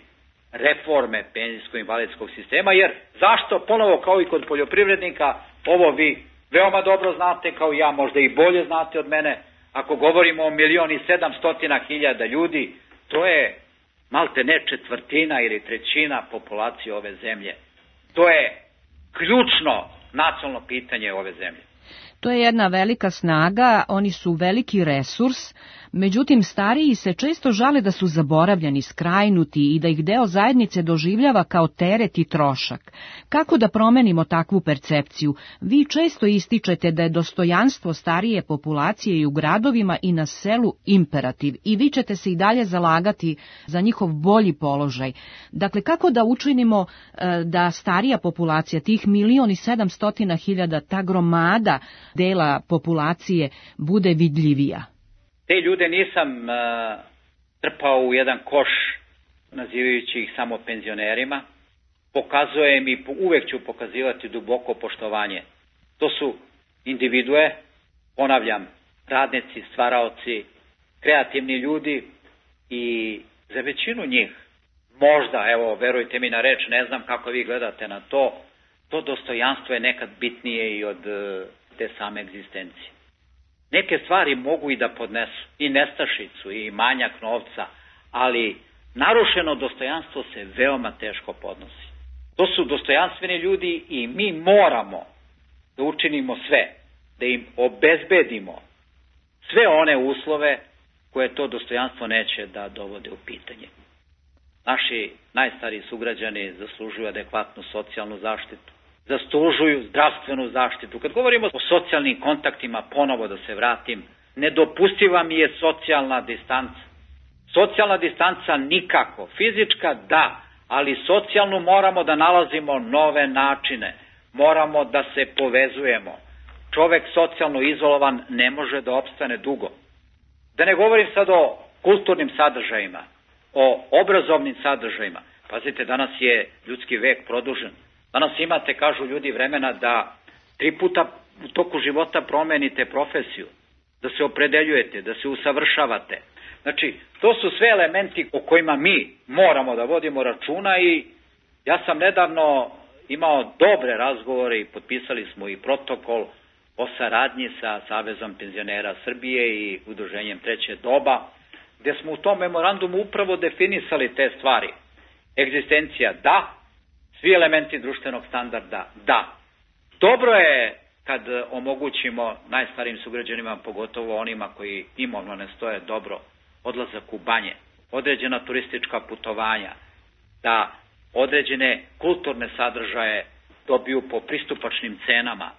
reforme penzijsko-invalidskog sistema, jer zašto ponovo kao i kod poljoprivrednika, ovo vi veoma dobro znate, kao ja možda i bolje znate od mene, ako govorimo o milion i sedamstotina hiljada ljudi, to je malte ne četvrtina ili trećina populacije ove zemlje. To je ključno nacionalno pitanje ove zemlje. To je jedna velika snaga, oni su veliki resurs, međutim stariji se često žale da su zaboravljeni, skrajnuti i da ih deo zajednice doživljava kao teret i trošak. Kako da promenimo takvu percepciju? Vi često ističete da je dostojanstvo starije populacije i u gradovima i na selu imperativ i vi ćete se i dalje zalagati za njihov bolji položaj. Dakle, kako da učinimo da starija populacija, tih milion i sedamstotina hiljada, ta gromada dela populacije bude vidljivija? Te ljude nisam uh, trpao u jedan koš nazivajući ih samo penzionerima. Pokazujem i uvek ću pokazivati duboko poštovanje. To su individue, ponavljam, radnici, stvaraoci, kreativni ljudi i za većinu njih, možda, evo, verujte mi na reč, ne znam kako vi gledate na to, to dostojanstvo je nekad bitnije i od uh, te same egzistencije. Neke stvari mogu i da podnesu, i nestašicu, i manjak novca, ali narušeno dostojanstvo se veoma teško podnosi. To su dostojanstveni ljudi i mi moramo da učinimo sve, da im obezbedimo sve one uslove koje to dostojanstvo neće da dovode u pitanje. Naši najstariji sugrađani zaslužuju adekvatnu socijalnu zaštitu, zaslužuju zdravstvenu zaštitu. Kad govorimo o socijalnim kontaktima, ponovo da se vratim, nedopustiva mi je socijalna distanca. Socijalna distanca nikako, fizička da, ali socijalnu moramo da nalazimo nove načine, moramo da se povezujemo. čovek socijalno izolovan ne može da opstane dugo. Da ne govorim sad o kulturnim sadržajima, o obrazovnim sadržajima. Pazite, danas je ljudski vek produžen. Danas imate, kažu ljudi, vremena da tri puta u toku života promenite profesiju, da se opredeljujete, da se usavršavate. Znači, to su sve elementi o kojima mi moramo da vodimo računa i ja sam nedavno imao dobre razgovore i potpisali smo i protokol o saradnji sa Savezom penzionera Srbije i Udruženjem Treće doba, gde smo u tom memorandumu upravo definisali te stvari. Egzistencija da, svi elementi društvenog standarda da. Dobro je kad omogućimo najstarijim sugrađanima, pogotovo onima koji imovno ne stoje dobro, odlazak u banje, određena turistička putovanja, da određene kulturne sadržaje dobiju po pristupačnim cenama.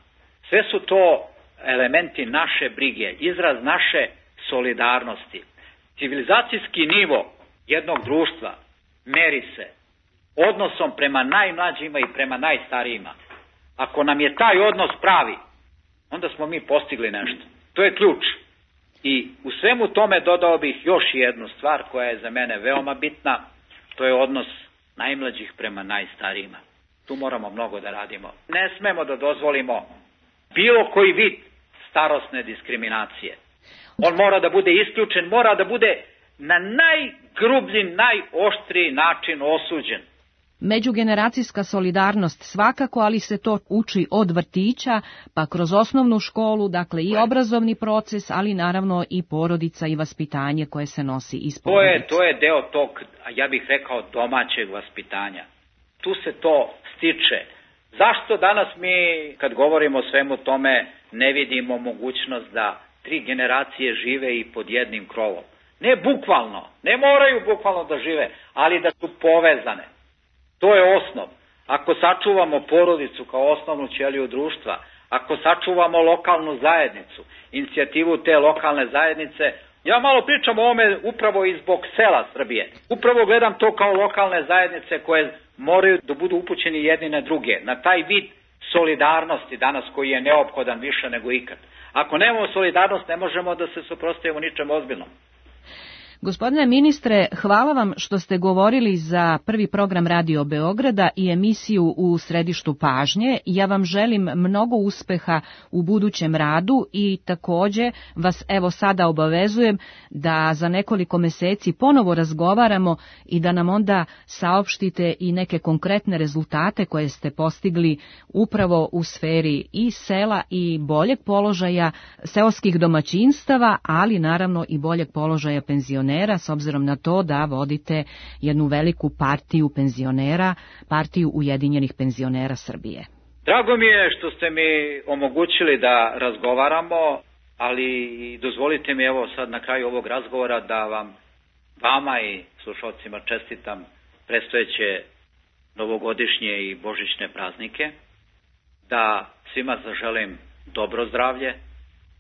Sve su to elementi naše brige, izraz naše solidarnosti. Civilizacijski nivo jednog društva meri se odnosom prema najmlađima i prema najstarijima. Ako nam je taj odnos pravi, onda smo mi postigli nešto. To je ključ. I u svemu tome dodao bih još jednu stvar koja je za mene veoma bitna, to je odnos najmlađih prema najstarijima. Tu moramo mnogo da radimo. Ne smemo da dozvolimo bilo koji vid starosne diskriminacije. On mora da bude isključen, mora da bude na najgrublji, najoštriji način osuđen. Međugeneracijska solidarnost svakako, ali se to uči od vrtića, pa kroz osnovnu školu, dakle i obrazovni proces, ali naravno i porodica i vaspitanje koje se nosi iz porodice. To je, to je deo tog, ja bih rekao, domaćeg vaspitanja. Tu se to stiče. Zašto danas mi, kad govorimo o svemu tome, ne vidimo mogućnost da tri generacije žive i pod jednim krovom? Ne bukvalno, ne moraju bukvalno da žive, ali da su povezane. To je osnov. Ako sačuvamo porodicu kao osnovnu ćeliju društva, ako sačuvamo lokalnu zajednicu, inicijativu te lokalne zajednice, ja malo pričam o ovome upravo i zbog sela Srbije. Upravo gledam to kao lokalne zajednice koje moraju da budu upućeni jedni na druge, na taj vid solidarnosti danas koji je neophodan više nego ikad. Ako nemamo solidarnost, ne možemo da se suprotstavimo ničem ozbiljnom. Gospodine ministre, hvala vam što ste govorili za prvi program Radio Beograda i emisiju U središtu pažnje. Ja vam želim mnogo uspeha u budućem radu i takođe vas evo sada obavezujem da za nekoliko meseci ponovo razgovaramo i da nam onda saopštite i neke konkretne rezultate koje ste postigli upravo u sferi i sela i boljeg položaja seoskih domaćinstava, ali naravno i boljeg položaja penzionera, s obzirom na to da vodite jednu veliku partiju penzionera, partiju Ujedinjenih penzionera Srbije. Drago mi je što ste mi omogućili da razgovaramo, ali dozvolite mi evo sad na kraju ovog razgovora da vam, vama i slušalcima čestitam predstojeće novogodišnje i božićne praznike, da svima zaželim dobro zdravlje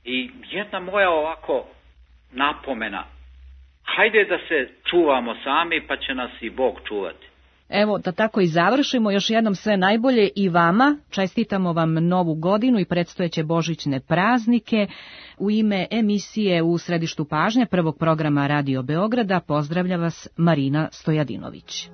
i jedna moja ovako napomena. Hajde da se čuvamo sami, pa će nas i Bog čuvati. Evo, da tako i završimo, još jednom sve najbolje i vama. Čestitamo vam novu godinu i predstojeće božićne praznike. U ime emisije U središtu pažnje prvog programa Radio Beograda pozdravlja vas Marina Stojadinović.